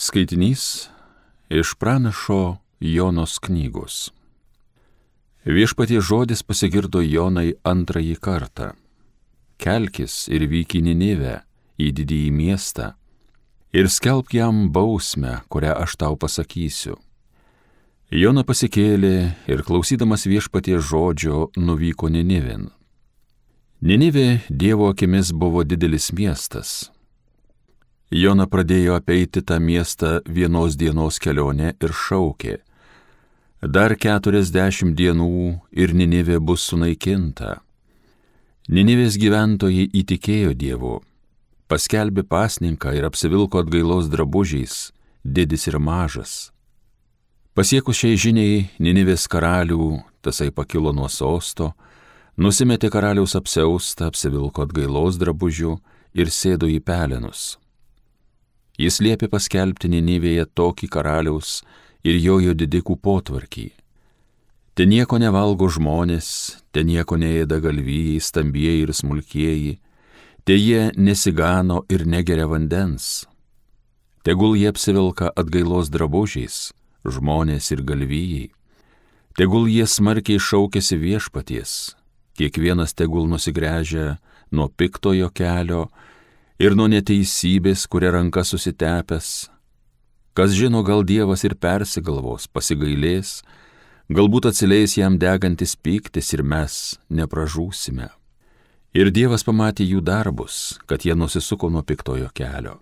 Skaitinys iš pranašo Jonos knygos. Viešpaties žodis pasigirdo Jonai antrąjį kartą. Kelkis ir vyk į Ninivę, į didįjį miestą, ir skelbk jam bausmę, kurią aš tau pasakysiu. Jona pasikėlė ir klausydamas viešpaties žodžio nuvyko Ninivėn. Ninivė Dievo akimis buvo didelis miestas. Jona pradėjo apeiti tą miestą vienos dienos kelionę ir šaukė: dar 40 dienų ir Ninivė bus sunaikinta. Ninivės gyventojai įtikėjo Dievu, paskelbė pasninką ir apsivilko atgailos drabužiais, didis ir mažas. Pasiekus šiai žiniai Ninivės karalių, tasai pakilo nuo sosto, nusimetė karaliaus apsiaustą, apsivilko atgailos drabužių ir sėdo į pelenus. Jis liepė paskelbti Ninivėje tokį karaliaus ir jojo didikų potvarkį. Te nieko nevalgo žmonės, te nieko neėda galvijai, stambieji ir smulkieji, te jie nesigano ir negeria vandens. Tegul jie apsivilka atgailos drabužiais, žmonės ir galvijai. Tegul jie smarkiai šaukiasi viešpaties, kiekvienas tegul nusigręžia nuo piktojo kelio ir nuo neteisybės, kuria ranka susitepęs. Kas žino, gal Dievas ir persigalvos, pasigailės, galbūt atsileis jam degantis pyktis ir mes nepražūsime. Ir Dievas pamatė jų darbus, kad jie nusisuko nuo piktojo kelio.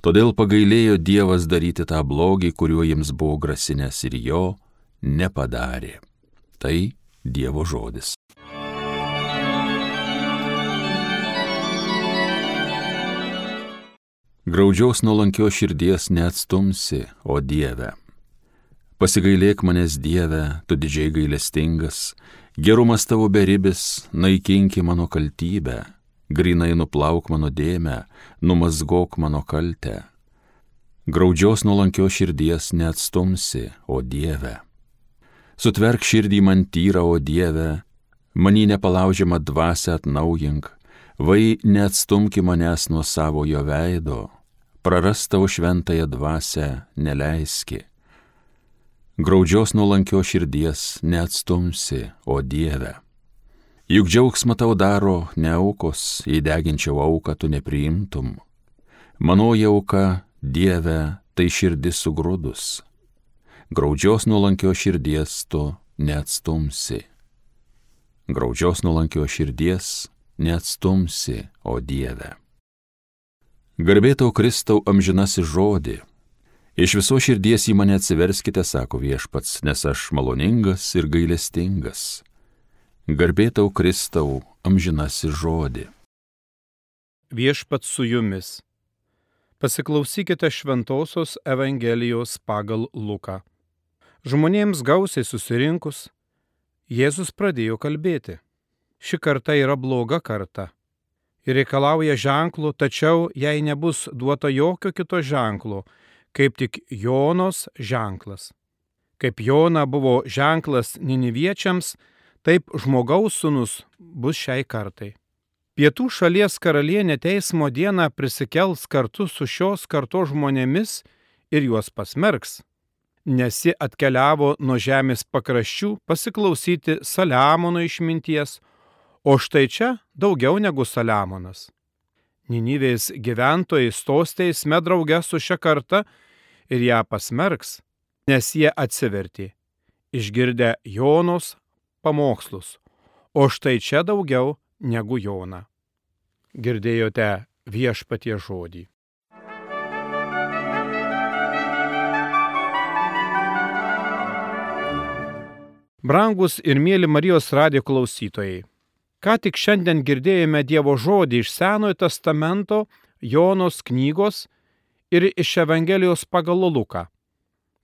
Todėl pagailėjo Dievas daryti tą blogį, kuriuo jiems buvo grasinęs, ir jo nepadarė. Tai Dievo žodis. Graudžios nuolankios širdies neatstumsi, o Dieve. Pasigailėk manęs, Dieve, tu didžiai gailestingas, gerumas tavo beribis, naikinki mano kaltybę, grynai nuplauk mano dėmę, numazgok mano kaltę. Graudžios nuolankios širdies neatstumsi, o Dieve. Sutverk širdį man tyrą, o Dieve, manį nepalaužiamą dvasią atnaujink, vai neatstumki manęs nuo savojo veido, prarast tavo šventąją dvasią neleiski. Graudžios nuolankios širdies neatstumsi, o Dieve. Juk džiaugsmą tau daro ne aukos, jei deginčiau auką tu nepriimtum. Manoji auka, Dieve, tai širdis sugrūdus. Graudžios nuolankios širdies tu neatstumsi. Graudžios nuolankios širdies neatstumsi, o Dieve. Garbė tau, Kristau, amžinasis žodį. Iš viso širdies į mane atsiverskite, sako viešpats, nes aš maloningas ir gailestingas. Garbė tau, Kristau, amžinasis žodį. Viešpats su jumis. Pasiklausykite šventosios Evangelijos pagal Luką. Žmonėms gausiai susirinkus, Jėzus pradėjo kalbėti. Ši karta yra bloga karta ir reikalauja ženklų, tačiau jai nebus duota jokio kito ženklo, kaip tik Jonos ženklas. Kaip Jona buvo ženklas niniviečiams, taip žmogaus sūnus bus šiai kartai. Pietų šalies karalienė teismo dieną prisikels kartu su šios kartos žmonėmis ir juos pasmerks, nes ji atkeliavo nuo žemės pakraščių pasiklausyti Saliamono išminties, o štai čia daugiau negu Saliamonas. Ninivės gyventojai stos teisme drauge su šia karta ir ją pasmerks, nes jie atsivertė, išgirdę Jonos pamokslus, o štai čia daugiau negu Jona. Girdėjote viešpaties žodį. Brangus ir mėly Marijos radijo klausytojai, ką tik šiandien girdėjome Dievo žodį iš Senojo testamento, Jonos knygos ir iš Evangelijos pagal Luką.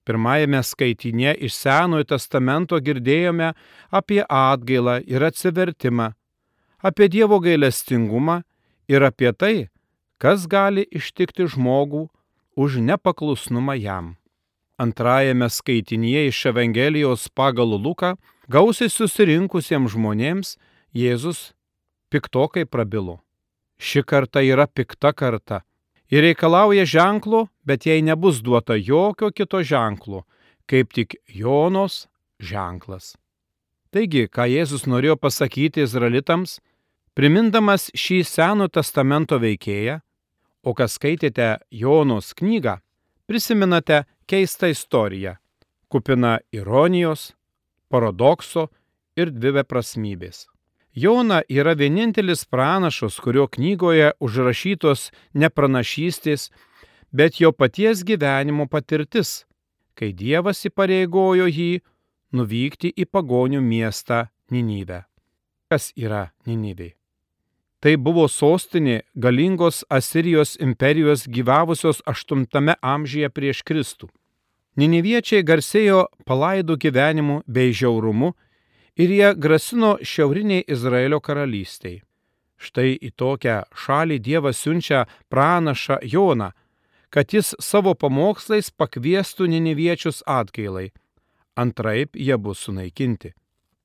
Pirmajame skaitinėje iš Senojo testamento girdėjome apie atgailą ir atsivertimą, apie Dievo gailestingumą ir apie tai, kas gali ištikti žmogų už nepaklusnumą jam. Antrajame skaitinyje iš Evangelijos pagal Luką gausiai susirinkusiems žmonėms Jėzus piktokai prabilo. Ši karta yra pikta karta Ji reikalauja ženklo, bet jai nebus duota jokio kito ženklo, kaip tik Jonos ženklas. Taigi, ką Jėzus norėjo pasakyti izraelitams, primindamas šį Seno testamento veikėją, o kas skaitėte Jonos knygą, prisimenate keistą istoriją, kupiną ironijos, paradokso ir dviveprasmybės. Jona yra vienintelis pranašas, kurio knygoje užrašytos ne pranašystės, bet jo paties gyvenimo patirtis, kai Dievas įpareigojo jį nuvykti į pagonių miestą Ninivę. Kas yra Ninivė? Tai buvo sostinė galingos Asirijos imperijos gyvavusios 8 amžiuje prieš Kristų. Niniviečiai garsėjo palaidų gyvenimu bei žiaurumu ir jie grasino šiauriniai Izraelio karalystiai. Štai į tokią šalį Dievas siunčia pranašą Joną, kad jis savo pamokslais pakviestų niniviečius atgailai, antraip jie bus sunaikinti.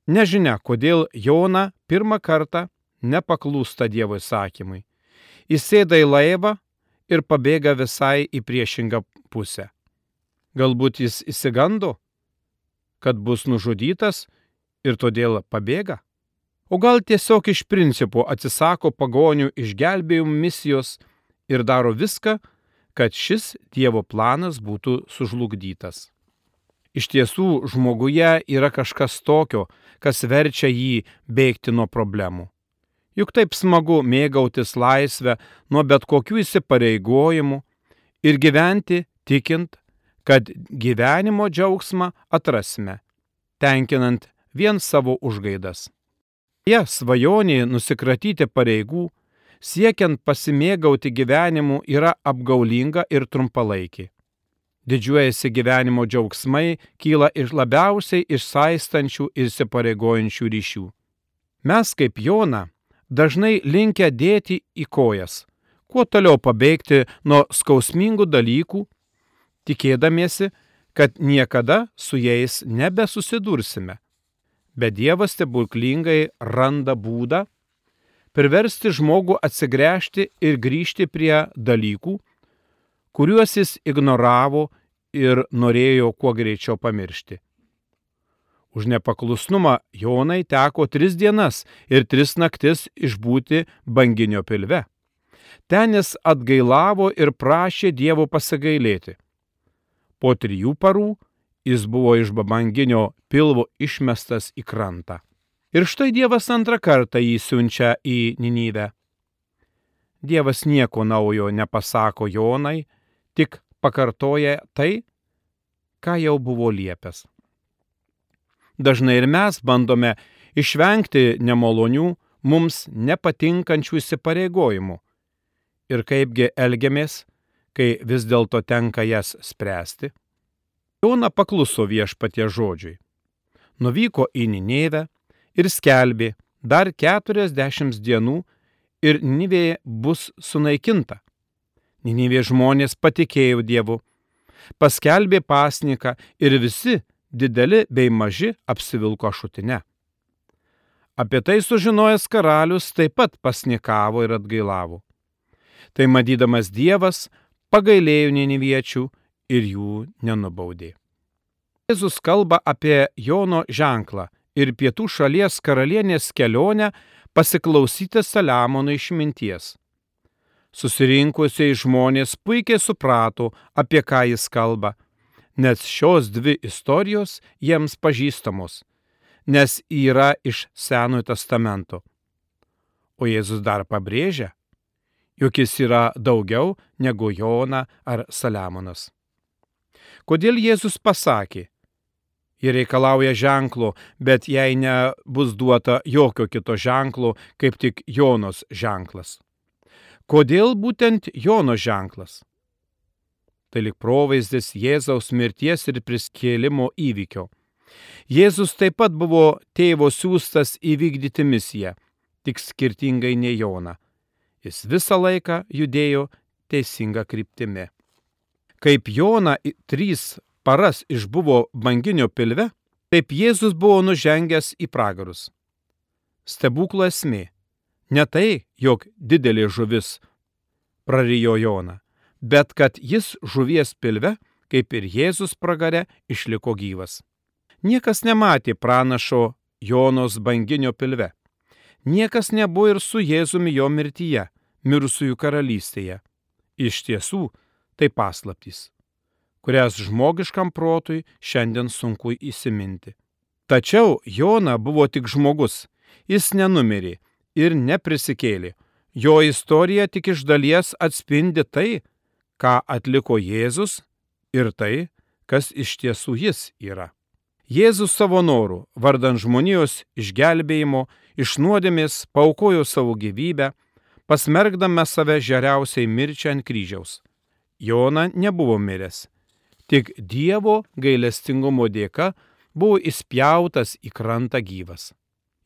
Nežinia, kodėl Jona pirmą kartą nepaklūsta Dievo įsakymui. Jis sėda į laivą ir pabėga visai į priešingą pusę. Galbūt jis išsigando, kad bus nužudytas ir todėl pabėga? O gal tiesiog iš principo atsisako pagonių išgelbėjimo misijos ir daro viską, kad šis Dievo planas būtų sužlugdytas. Iš tiesų, žmoguje yra kažkas tokio, kas verčia jį bėgti nuo problemų. Juk taip smagu mėgautis laisvę nuo bet kokių įsipareigojimų ir gyventi tikint, kad gyvenimo džiaugsmą atrasime, tenkinant vien savo užgaidas. Jie svajonė nusikratyti pareigų, siekiant pasimėgauti gyvenimu, yra apgaulinga ir trumpalaikė. Didžiuojasi gyvenimo džiaugsmai kyla iš labiausiai išsaistančių ir įsipareigojančių ryšių. Mes, kaip Jona, dažnai linkę dėti į kojas, kuo toliau pabėgti nuo skausmingų dalykų, tikėdamiesi, kad niekada su jais nebesusidursime. Bet Dievas stebuklingai randa būdą priversti žmogų atsigręžti ir grįžti prie dalykų, kuriuos jis ignoravo ir norėjo kuo greičiau pamiršti. Už nepaklusnumą Jonai teko 3 dienas ir 3 naktis išbūti banginio pilve. Ten jis atgailavo ir prašė Dievo pasigailėti. Po 3 parų jis buvo iš banginio pilvo išmestas į krantą. Ir štai Dievas antrą kartą jį siunčia į Ninivę. Dievas nieko naujo nepasako Jonai, tik pakartoja tai, ką jau buvo liepęs. Dažnai ir mes bandome išvengti nemalonių, mums nepatinkančių įsipareigojimų. Ir kaipgi elgiamės, kai vis dėlto tenka jas spręsti? Jona pakluso Viešpaties žodžiui. Nuvyko į Ninevę ir skelbė dar 40 dienų ir Ninivė bus sunaikinta. Ninivės žmonės patikėjo Dievu, paskelbė pasniką ir visi, dideli bei maži, apsivilko šutine. Apie tai sužinojęs karalius taip pat pasnikavo ir atgailavo. Tai matydamas Dievas pagailėjo niniviečių ir jų nenubaudė. Jėzus kalba apie Jono ženklą ir pietų šalies karalienės kelionę pasiklausyti Saliamono išminties. Susirinkusiai žmonės puikiai suprato, apie ką jis kalba, nes šios 2 istorijos jiems pažįstamos, nes yra iš Senojo testamento. O Jėzus dar pabrėžia, jog jis yra daugiau negu Jona ar Saliamonas. Kodėl Jėzus pasakė, jie reikalauja ženklo, bet jai nebus duota jokio kito ženklo, kaip tik Jonos ženklas? Kodėl būtent Jono ženklas? Tai lyg provaizdis Jėzaus mirties ir prisikėlimo įvykio. Jėzus taip pat buvo tėvo siųstas įvykdyti misiją, tik skirtingai nei Jona. Jis visą laiką judėjo teisinga kryptimi. Kaip Jona 3 paras išbuvo banginio pilve, taip Jėzus buvo nužengęs į pragarus. Stebuklo esmė ne tai, jog didelė žuvis prarijo Joną, bet kad jis žuvies pilve, kaip ir Jėzus pragare, išliko gyvas. Niekas nematė pranašo Jonos banginio pilve. Niekas nebuvo ir su Jėzumi jo mirtyje, mirusiųjų karalystėje. Iš tiesų, tai paslaptys, kurias žmogiškam protui šiandien sunku įsiminti. Tačiau Jona buvo tik žmogus, jis nenumirė ir neprisikėlė. Jo istorija tik iš dalies atspindi tai, ką atliko Jėzus ir tai, kas iš tiesų jis yra. Jėzus savo norų, vardan žmonijos išgelbėjimo, iš nuodėmės paaukojo savo gyvybę, pasmergdama save žeriausiai mirčiai ant kryžiaus. Jona nebuvo miręs, tik Dievo gailestingumo dėka buvo įspjautas į krantą gyvas.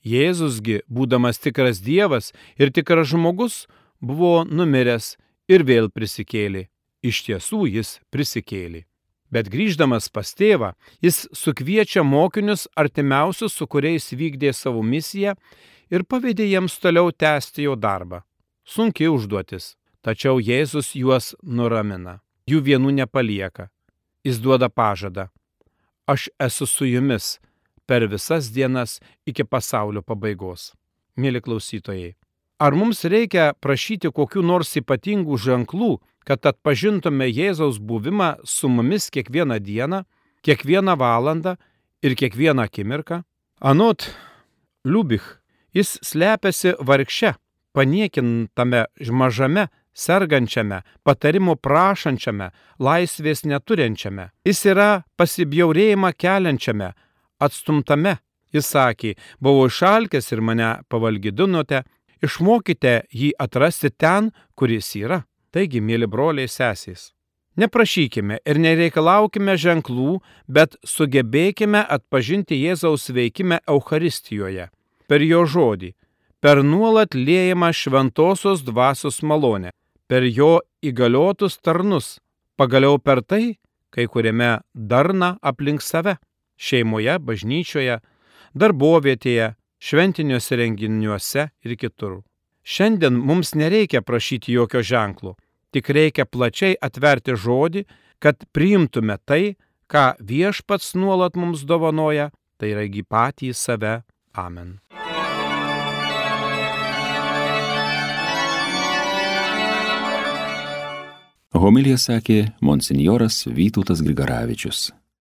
Jėzusgi, būdamas tikras Dievas ir tikras žmogus, buvo numiręs ir vėl prisikėlė. Iš tiesų jis prisikėlė. Bet grįždamas pas tėvą, jis sukviečia mokinius artimiausius, su kuriais vykdė savo misiją ir pavedė jiems toliau tęsti jo darbą. Sunki užduotis, tačiau Jėzus juos nuramina. Jų vienų nepalieka. Jis duoda pažadą. Aš esu su jumis per visas dienas iki pasaulio pabaigos. Mėly klausytojai, ar mums reikia prašyti kokių nors ypatingų ženklų, kad atpažintume Jėzaus buvimą su mumis kiekvieną dieną, kiekvieną valandą ir kiekvieną akimirką? Anot Liubich, jis slepiasi vargše, paniekintame mažame, sergančiame, patarimo prašančiame, laisvės neturinčiame. Jis yra pasibjaurėjimą keliančiame, atstumtame. Jis sakė, buvau išalkęs ir mane pavalgydinote, išmokite jį atrasti ten, kur jis yra. Taigi, mėly broliai sesės, neprašykime ir nereikalaukime ženklų, bet sugebėkime atpažinti Jėzaus veikimą Eucharistijoje, per jo žodį, per nuolat liejamą šventosios dvasios malonę, per jo įgaliotus tarnus, pagaliau per tai, kai kuriame darna aplink save, šeimoje, bažnyčioje, darbovietėje, šventiniuose renginiuose ir kitur. Šiandien mums nereikia prašyti jokio ženklo, tik reikia plačiai atverti žodį, kad priimtume tai, ką Viešpats nuolat mums dovanoja, tai yra patį save. Amen. Homiliją sakė monsinjoras Vytautas Grigaravičius.